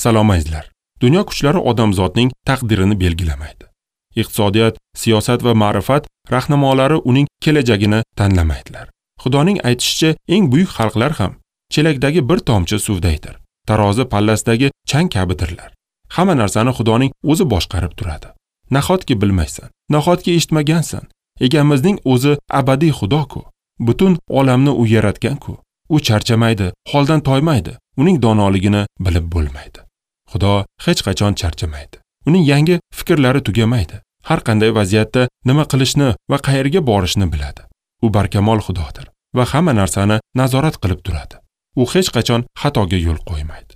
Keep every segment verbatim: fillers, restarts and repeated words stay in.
Salom azizlar. Dunyo kuchlari odamzodning taqdirini belgilamaydi. Iqtisodiyot, siyosat va ma'rifat rahnamolari uning kelajagini tanlamaydilar. Xudoning aytishicha, eng buyuk xalqlar ham chelakdagi bir tomchi suvdaydir. Tarozi pallasidagi chang kabidirlar. Hamma narsani Xudoning o'zi boshqarib turadi. Nahotki bilmaysan, nahotki eshitmagansan. Egamizning o'zi abadiy Xudo-ku. Butun olamni u yaratgan-ku. U charchamaydi, holdan toymaydi. Uning donoligini bilib bo'lmaydi. Xudo hech qachon charchamaydi. Uning yangi fikrlari tugamaydi. Har qanday vaziyatda nima qilishni va qayerga borishni biladi. U barkamol Xudodir va hamma narsani nazorat qilib turadi. U hech qachon xatoga yo'l qo'ymaydi.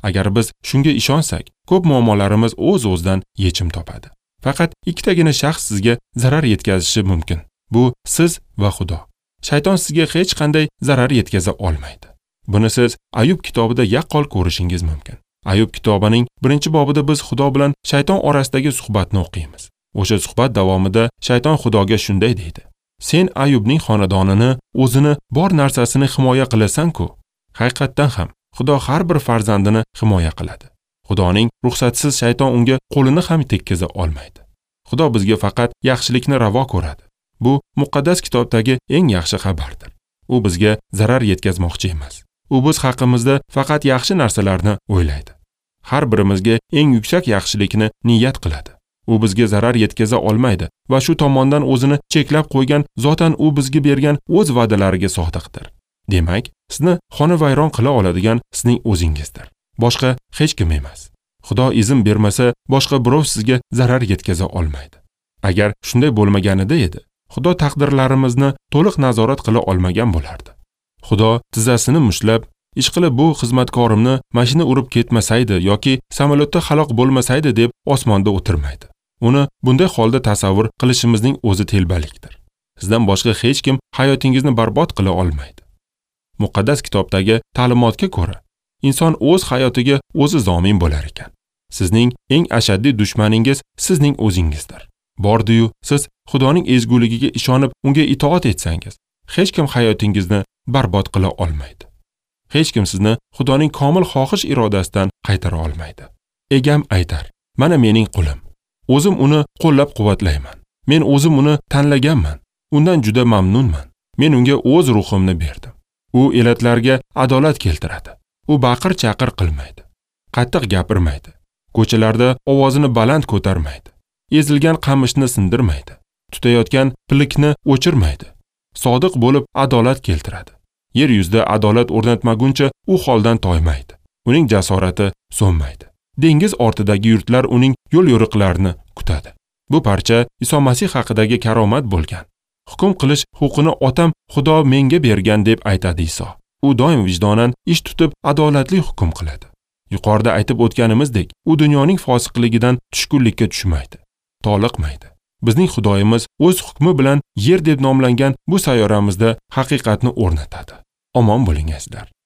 Agar biz shunga ishonsak, ko'p muammolarimiz o'z-o'zidan yechim topadi. Faqat ikkitagina shaxs sizga zarar yetkazishi mumkin. Bu siz va Xudo. Shayton sizga hech qanday zarar yetkaza olmaydi. Buni siz Ayub kitobida yaqqol ko'rishingiz mumkin. Ayub kitobining birinchi bobida biz Xudo bilan shayton orasidagi suhbatni o'qiymiz. O'sha suhbat davomida shayton Xudoga shunday deydi: "Sen Ayubning xonadonini, o'zini bor narsasini himoya qilasan-ku." Haqiqatdan ham Xudo har bir farzandini himoya qiladi. Xudoning ruxsatisiz shayton unga qo'lini ham tekkiza olmaydi. Xudo bizga faqat yaxshilikni ravo ko'radi. Bu muqaddas kitobdagi eng yaxshi xabardir. U bizga zarar yetkazmoqchi emas. U biz haqimizda faqat yaxshi narsalarni o'ylaydi. Har birimizga eng yuksak yaxshilikni niyat qiladi. U bizga zarar yetkaza olmaydi va shu tomondan o'zini cheklab qo'ygan, zotan u bizga bergan o'z va'dalariga sodiqdir. Demak, sizni xonavayron qila oladigan sizning o'zingizdir. Boshqa hech kim emas. Xudo izn bermasa, boshqa birov sizga zarar yetkaza olmaydi. Agar shunday bo'lmaganida edi, Xudo taqdirlarimizni to'liq nazorat qila olmagan bo'lardi. Xudo tizzasini mushlab, ishqilib bu xizmatkorimni mashina urib ketmasaydi yoki samolyotda halok bo'lmasaydi deb osmonda o'tirmaydi. Uni bunday holda tasavvur qilishimizning o'zi telbalikdir. Sizdan boshqa hech kim hayotingizni barbod qila olmaydi. Muqaddas kitobdagi ta'limotga ko'ra, inson o'z hayotiga o'zi zomin bo'lar ekan. Sizning eng ashaddiy dushmaningiz sizning o'zingizdir. Bordi-yu, siz Xudoning ezguligiga ishonib, unga itoat etsangiz, hech kim hayotingizni barbod qila olmaydi. Hech kim sizni Xudoning komil xohish irodasidan qaytara olmaydi. Egam aytar: "Mana mening qulim. O'zim uni qo'llab-quvvatlayman. Men o'zim uni tanlaganman. Undan juda mamnunman. Men unga o'z ruhimni berdim. U elatlarga adolat keltiradi. U baqir-chaqir qilmaydi. Qattiq gapirmaydi. Ko'chalarda ovozini baland ko'tarmaydi. Ezilgan qamishni sindirmaydi. Tutayotgan pilikni o'chirmaydi. Sodiq bo'lib adolat keltiradi. Yer yuzida adolat o'rnatmaguncha u holdan toymaydi. Uning jasorati so'nmaydi. Dengiz ortidagi yurtlar uning yo'l-yo'riqlarini kutadi." Bu parcha Iso Masih haqidagi karomat bo'lgan. Hukm qilish huquqini otam Xudo menga bergan deb aytadi Iso. U doim vijdonan ish tutib adolatli hukm qiladi. Yuqorida aytib o'tganimizdek, u dunyoning fosiqligidan tushkunlikka tushmaydi, toliqmaydi. Bizning Xudoyimiz o'z hukmi bilan yer deb nomlangan bu sayyoramizda haqiqatni o'rnatadi. Omon bo'ling azizlar.